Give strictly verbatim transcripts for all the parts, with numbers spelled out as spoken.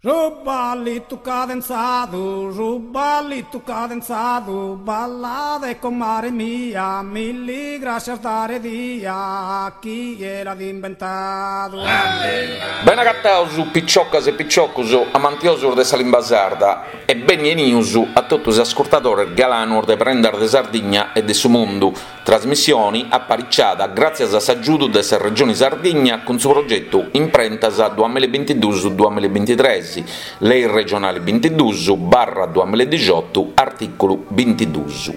Su ballitu cadenzadu, su ballitu cadenzadu, ballade comare mia, milli grascias dare dia, chie l'at imbentadu. Bene agataus piciocas e piciocus amantiosus de sa limba sarda e beni 'enius a totu is ascurtadores galanos de Prendas de Sardigna e de su Mundu, trasmissioni apariciada gràtzias a s'agiudu de sa Regioni Sardigna cun su progetu Imprentas duamilla e bintiduus duamilla e bintitres, Lei regionali bintiduus barra duamilla e dixiotu, artìculu bintiduus.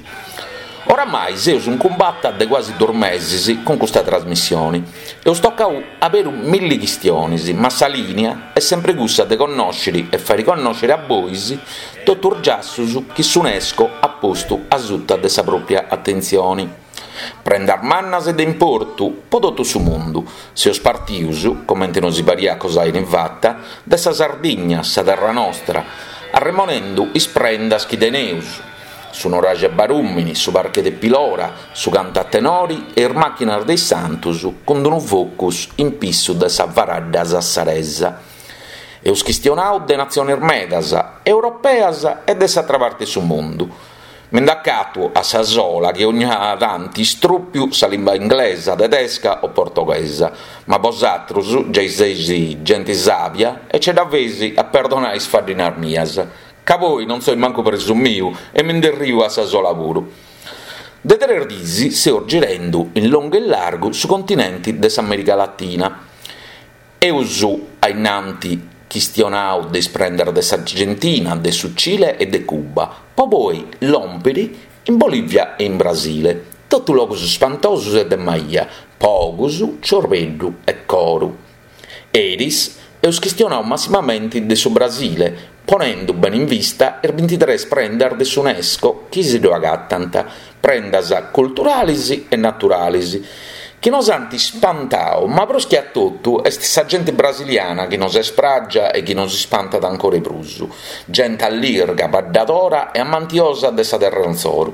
Oramai seus in cumbata de cuasi duus mesis cun custa trasmissioni. Eus tocau aberu milli chistionis, ma sa lìnia est sempri cussa de connòsciri e fàiri connòsciri a bois totu is giassus chi s'UNESCO at postu asuta de sa pròpria atentzioni. Prendas mannas e de importu po totu su mundu. Seus partius, comente nosi pariat cosa 'eni fata, de sa Sardigna, sa terra nostra, arremonendu is prendas chi teneus, su nuraxi 'e Barùmini, su parche de Pilora, su cantu a tenori e is màchinas de is santus cun unu focus in pissu de sa faradda sassaresa. Eus chistionau de natziones medas, europeas e de s'atra parte 'e su mundu. Mi nd'acatu a sa sola chi ogna tanti istrùpiu sa limba inglesa, tedesca o portoghesa, ma bosatrus giai seis genti sàbia e ce dda feis a perdonai is faddinas mias, ca poi non soi mancu presumiu e mi nd'erriu a sa sola puru. De tres diis seus girendu in longu e in largu su continenti de s'America Latina. Eus a innanti chistionau de is prendas de s'Argentina, de su Cile e de Cuba, po poi lòmpiri in Bolivia e in Brasile. Totu logus spantosus e de maia, po ogus, ciorbeddu e coru. Eris eus chistionau massimamenti de su Brasile, ponendu bene in vista is bintitres prendas de s'UNESCO chi si ddu agatant, prendas culturalis e naturalis, chi nos ant ispantau, ma prus chi a totu est sa genti brasiliana chi nos est pràgia e chi nos ispantat ancora 'e prus, genti allirga, baddadora e amantiosa de sa terra insoru.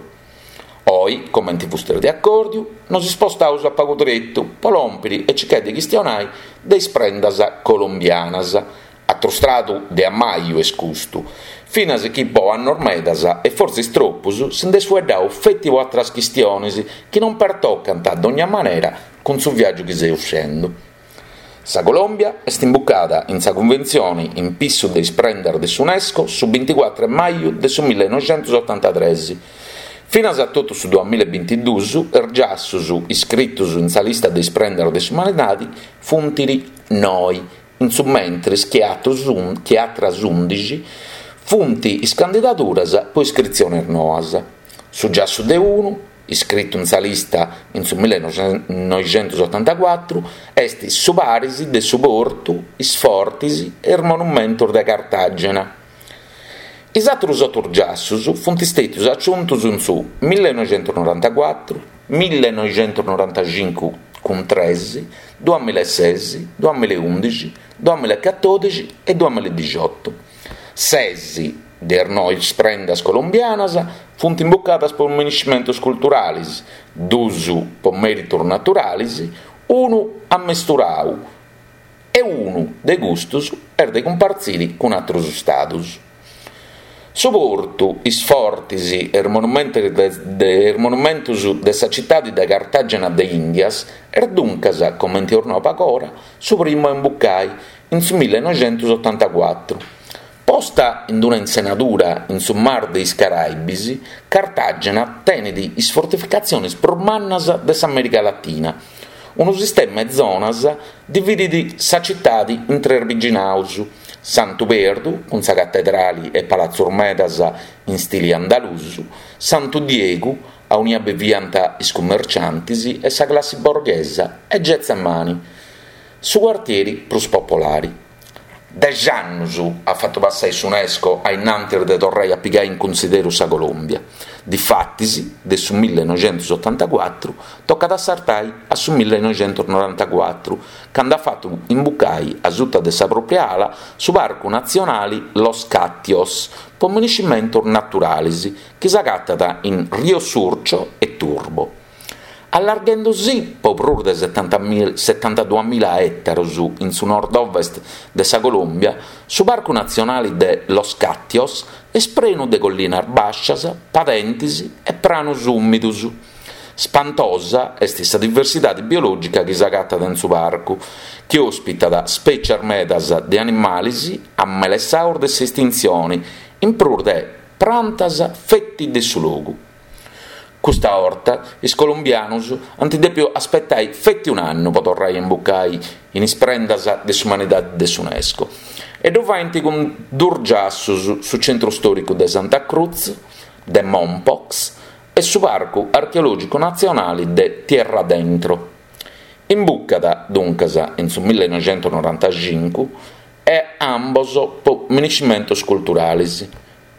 Oi, comenti fustis de acòrdiu, nos ispostaus a pagu tretu po lòmpiri e circai de chistionai de is prendas colombianas. Atru stradu de ammaju est custu, finas chi po annos medas e fortzis tropus si nd'est fueddau feti po atras chistionis chi non pertocant a dogna manera cun su viàgiu chi seus fendu. Sa Colòmbia est imbucada in sa cunventzioni in pissu de is prendas de s'UNESCO su binticuatru 'e maju de su millenoixentus otantatres. Finas a totu su duamilla e bintiduus is giassus iscritus in sa lista de is prendas de s'umanidadi funt noi, in su mentris chi chi atras undixi funt is candidaduras po iscritziones noas. Su giassu de unu, iscritu in sa lista in su millenoixentus otantacuatru, est su paris de su portu, is fortis e is monumentos de Cartagena. Is atrus otu giassus funt istètius aciuntus in su millenoixentus norantacuatru, millenoixentus norantacincu cun tres, duamilla e ses, duamilla e undixi, duamilla e catòdixi e duamilla e dixiotu. Ses de is nois prendas colombianas funt imbucadas po miniscimentos culturalis, duus po mèritos naturalis, unu ammesturau e unu de custus est de cumpartziri cun atrus stadus. Su portu, is fortis e is monumentos de is monumentos de sa citadi de Cartagena de Indias est duncas, comente eus nau pagora, su primu a imbucai, in su millenoixentus otantacuatru. Posta in una insenadura in su Mar de is Caraibis, Cartagena tenet is fortificatziones prus mannas de s'Amèrica Latina. Unu sistema 'e zonas dividit sa citadi in tres biginaus, Santu Perdu, cun sa catedrali e palatzos medas in stili andalusu, Santu Diegu, aunia biviant is cummerciantes e sa classi borghesa, e Getsemani, su cuartieri prus popolari. Dexi annus at fatu passai s'UNESCO a innantis de torrai a pigai in cunsideru sa Colòmbia. Difatis, de su millenoixentus otantacuatru tocat a sartai a su millenoixentus norantacuatru, candu at fatu imbucai a suta de sa pròpria ala su Parcu Natzionali Los Katíos po miniscimentos naturalis, chi s'agatat in Rio Surco e Turbo. Allarghendusì po prus de setantaduamila ètaros in su nord-ovest de sa Colòmbia, su Parcu Natzionale de Los Katíos est prenu de collinas bàscias, padentes e pranos ùmidos. Spantosa est sa diversidade biològica chi s'agatat in su parcu, chi òspitat spècies medas de animales amelessados de s'estintzione, in prus de prantas feti de su logu. Custa 'orta is colombianos ant dèpidu aspetare feti un'annu pro torrare a imbucare in is prendas de s'umanidade de s'UNESCO. E ddu faent cun duos giassos, su centru stòricu de Santa Cruz, de Mompox e su Parcu Archeològicu Natzionale de Tierradentro. Imbucat, duncas, in su millenoighentonorantacincu e ambos pro miniscimentos culturales.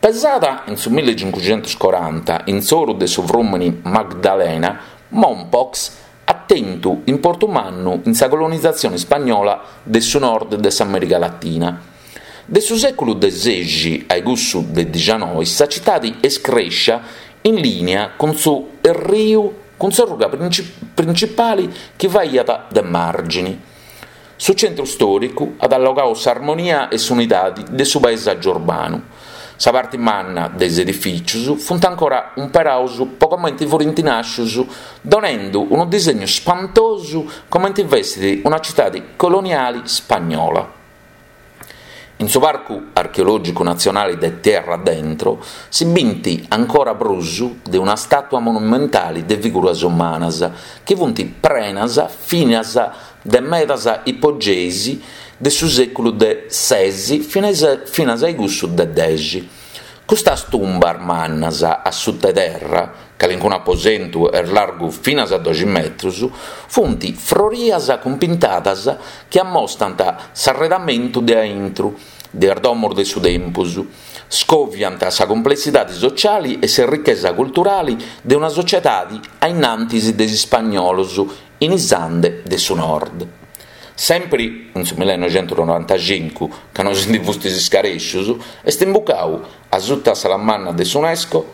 Pesada in su millecincuxentoscoranta in s'oru de su frùmene Magdalena, Mompox at tentu importu mannu in sa colonizatzione ispagnola de su nord de s'Amèrica Latina. De su sèculu de sexi a cussu de dicianoi sa citade est crèschida in lìnia cun su riu cun s'orruga printzipale chi faghiat de màrgine. Su centru stòricu at allogadu s'armonia e s'unidade de su paesàgiu urbanu. Sa parte manna de is edifìtzios funt ancora imperados pro comente furint nàschidos, donende unu disegnu spantosu comente fessit una citade coloniale ispagnola. In su Parcu Archeològicu Natzionale de Tierradentro si bint ancora prus de una stàtua monumentale de figuras umanas, chi funt prenas finas de medas ipogeis de su sèculu de ses finas a cussu de dexi. Custas tumbas mannas a suta terra, calincunu aposentu est largu finas a doxi metros, funt frorias cun pintadas chi ammostant s'arredamentu de a intro de is domos de su tempus, scoviant sa complessidade sotziale e sa richesa culturale de una sotziedade a in antis de is ispagnolos in is Andes de su nord. Sempre in su millenoighentonorantacincu, ca non si ndi fustis iscarèscios, est imbucadu a suta sa manna de s'UNESCO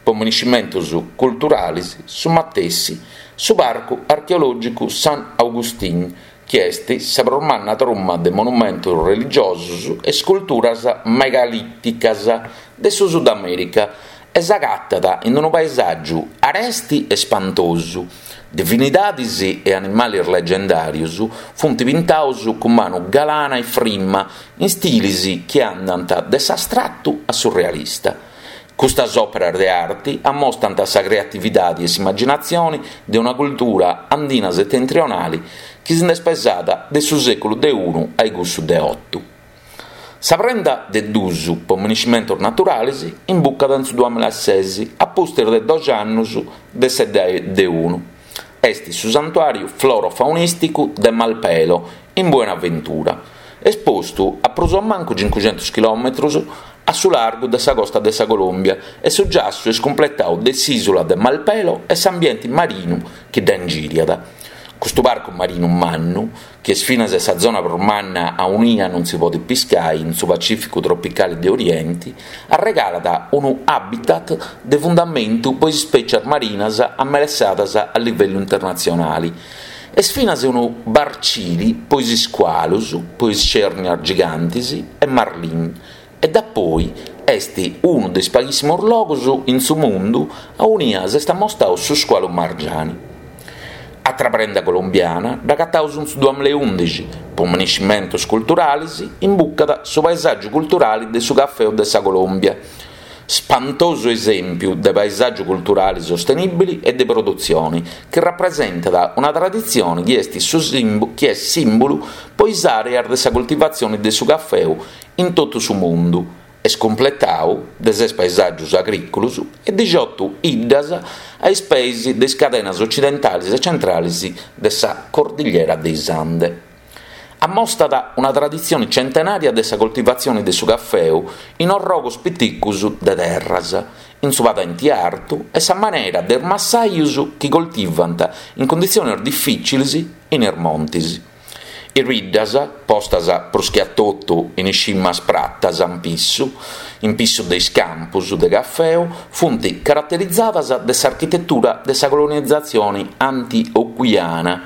pro miniscimentos culturales su matessi su Parcu Archeològicu San Agustín, chi est sa prus manna truma de monumentos religiosos e isculturas megalìticas de su Sud Amèrica e s'agatat in unu paesàgiu areste e spantosu. Divinidades e animales legendàrios funt pintados cun manu galana e frima in istiles chi andant de s'astratu a su realista. Custas òperas de arte ammostant sa creatividade e s'immaginatzione de una cultura andina setentrionale chi si nd'est pesada de su sèculu de unu a cussu de oto. Sa prenda de duos pro miniscimentos naturales imbucat in su duamillases, a pustis de doxi annos de sa de unu. Est su santuàriu florofaunìsticu de Malpelo, in Buenaventura, espostu a prus o mancu cincuxentos chilòmetros a su largu de sa costa de sa Colòmbia e su giassu est cumpletadu de s'ìsula de Malpelo e s'ambiente marinu chi dda ingìriat. Custu parcu marinu mannu, chi est finas sa zona prus manna aunia non si podet piscare in su Pacìficu tropicale de Oriente, arregalat unu habitat de fundamentu pro is ispècies marinas amelessadas a livellu internatzionale. Est finas unu barcili pro is iscualos, pro is cernias gigantes e marlin, e dapoi est unu de is paghìssimos logos in su mundu aunia s'est ammostradu su scualu margiani. Atra prenda colombiana dd'agataus in su duamillaundixi, pro miniscimentos culturales imbucat su paesàgiu culturale de su cafeu de sa Colòmbia. Spantosu esèmpiu de paesàgiu culturale sostenìbile e de produtzione, chi rapresentat una traditzione chi est, su simbu, chi est sìmbulu pro is àreas de sa coltivatzione de su cafeu in totu su mundu. Est cumpletadu de ses paesàgios agrìculos e diciotto iddas a is peis de is cadenas ocidentales e centrales de sa Cordigliera de is Andes. Ammostat una traditzione centenària de sa coltivatzione de su cafeu in orrogos piticos de terras, in su padente artu e sa manera de is massajos chi coltivant in cunditziones difìtziles in is montes. Is biddas, postas prus che a totu in is cimas pratas ampissu, In pissu de is campus de cafeu funt caraterizadas de s'architetura de sa colonizatzione antioquiana,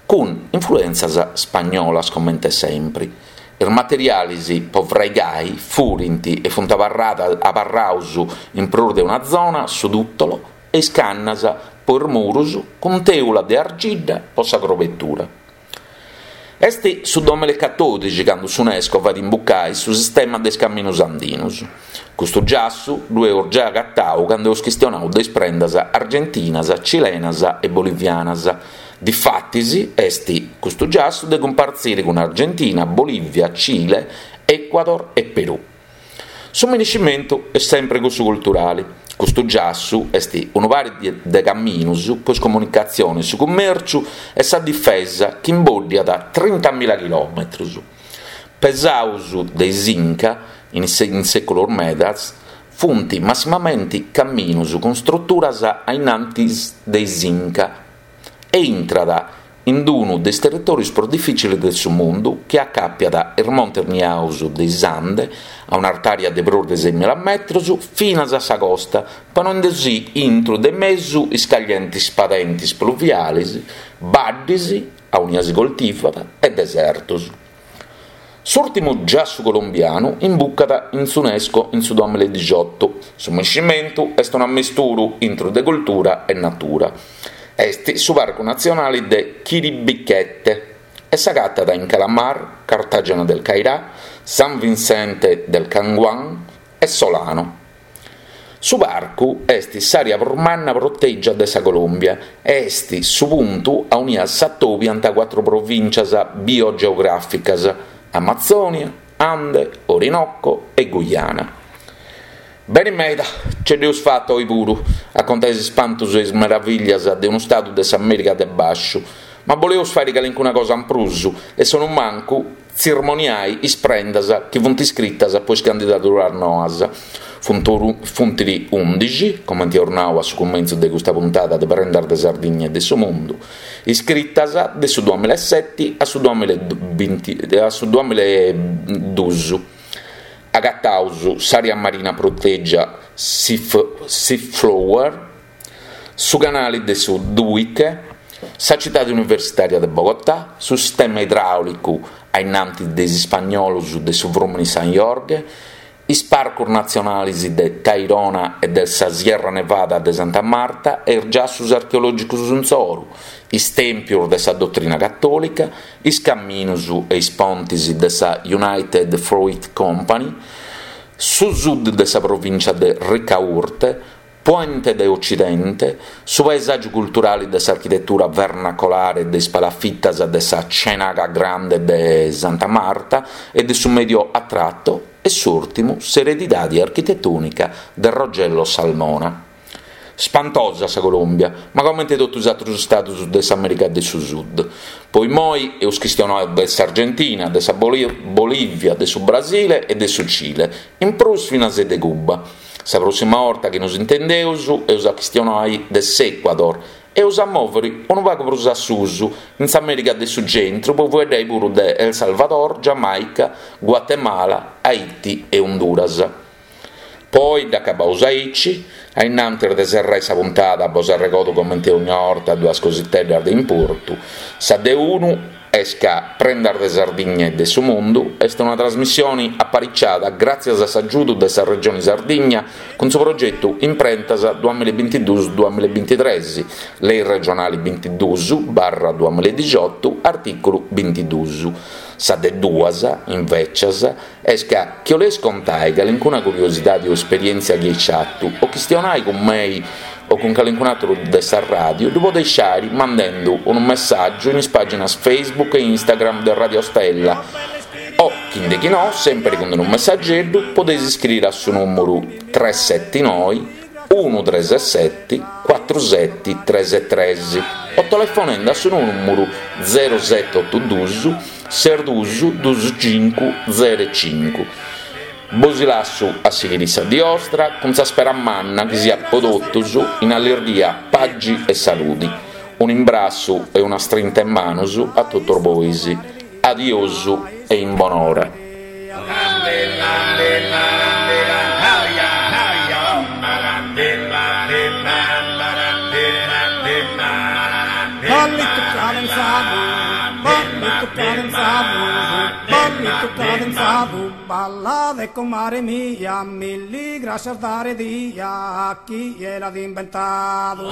cun influèntzias spagnolas comente sempre. Is materiales pro fraigai furint e funt abarrados in prus de una zona su tùtolo e is cannas pro is muros cun tèula de argidda pro sa crobetura. Est su duamillaecatòdixi cando s'UNESCO fait imbucare su sistema de is caminos andinos. Custu giassu ddu eus giai agatadu cando eus chistionadu de is prendas argentinas, cilenas e bolivianas. Difatis est custu giassu de cumpartzire cun Argentina, Bolìvia, Cile, Ecuador e Perù. Su miniscimentu est sempre cussu culturale. Custu giassu est unu pari de caminos pro is comunicatziones, su cummèrciu e sa difesa chi imbòddiat trintamila chilòmetros. Pesados de is Inca in sèculos medas, funt massimamente caminos cun istruturas a in antis de is Inca e intrat in unu de is territòrios prus difìtziles de su mundu chi acàpiat is montes niados de is Ande a un'artària de prus de seimila metros finas a sa costa, ponende-si intro de mesu is caglientes padentes pluviales, baddes, aunia si coltivat, e desertos. S'ùrtimu giassu colombianu imbucat in s'UNESCO in su duamillaedixoto. Su miniscimentu est un'ammisturu intro de cultura e natura. Est su Parcu Natzionale de Chiribiquete e s'agatat in Calamar, Cartagena del Cairá, San Vicente del Caguán e Solano. Su parcu est s'àrea prus manna protègia de sa Colòmbia e est su puntu aunia s'atobiant cuatru provìntzias biogeogràficas: Amazònia, Ande, Orinoco e Guyana. Beni meda, ce dd'eus fata oi puru a contai is ispantus e is meraviglias de unu stadu de s'America de Basciu, ma boleus fare calincuna cosa in prus e sono mancu tzirmoniai is prendas chi funt iscritas po is candidaduras noas. Funt undixi, comente eus nau a su cumentzu de custa puntada de Prendas de Sardigna e de su Mundu, iscritas de su duamillaesete a su duamillaeduus. Agataus s'àrea marina protègia Seaflower, su canale de su Duique, sa citade universitària de Bogotà, su sistema idràulicu a innantis de is ispagnolos de su frùmene San Jorge, is parcos natzionales de Tayrona e de sa Sierra Nevada de Santa Marta e is giassos archeològicos insoru, is tèmpios de sa dotrina catòlica, is caminos e is pontes de sa United Fruit Company, su sud de sa provìncia de Ricaurte, Puente de Occidente, su paesàgiu culturale de s'architetura vernacolare de is palafitas de sa Ciénaga Grande de Santa Marta e de su Medio Atrato e s'ùrtimu s'eredidade architetònica de Rogelio Salmona. Spantosa sa Colòmbia, ma comente totu is àteros istados de s'America de su Sud. Poi moi eus chistionadu de s'Argentina, de sa Bolìvia, de su Brasile e de su Cile, in prus finas de Cuba. Sa prossima orta chi nos intendeus eus a chistionai de s'Ecuador e eus a mòvere unu pagu prus a susu in s'America de su Centru po fueddai puru de El Salvador, Giamaica, Guatemala, Haiti e Honduras. Poi dd'acabaus aici, a innantis de serrai sa puntada bos arregodo comente ogni orta duas cositeddas de importu. Sa de unu est ca Prendas de Sardigna e de su Mundu est una trasmissione apariciada gràtzias a s'agiudu de sa Regione Sardigna cun su progetu Imprentas duamillabintiduus duamillabintitres, Lei regionale bintiduus barra duamillaedixoto, artìculu bintiduus. Sa de duas, invecias, est ca chi 'oleis contai calincuna curiosidade o esperièntzia chi eis fatu o chistionai cun mei o cun calincun àteru de sa ràdio, ddu podeis fàere mandendo unu messàgiu in is pàginas Facebook e Instagram de Radio Stella o, chi de chi no, sempre cun unu messageddu, podeis iscriere a su nùmeru tres sete noe unu tres sete cuatru sete tres tres o telefonende a su nùmeru zero sete oto duus ses duus duus cincu zero cincu. Bos lasso a sighire sa die ostra cun sa spera manna chi siat po totus in allirghia, pagi e saludi. Un imbrassu e una strinta in manos a totus bois. Adiosu e in bonora. Lande, lande, lande, lande. cadenzadu, ballitu cadenzadu, ballitu cadenzadu, ballade comare mia, milli grascias dare dia a chie l'at inventadu.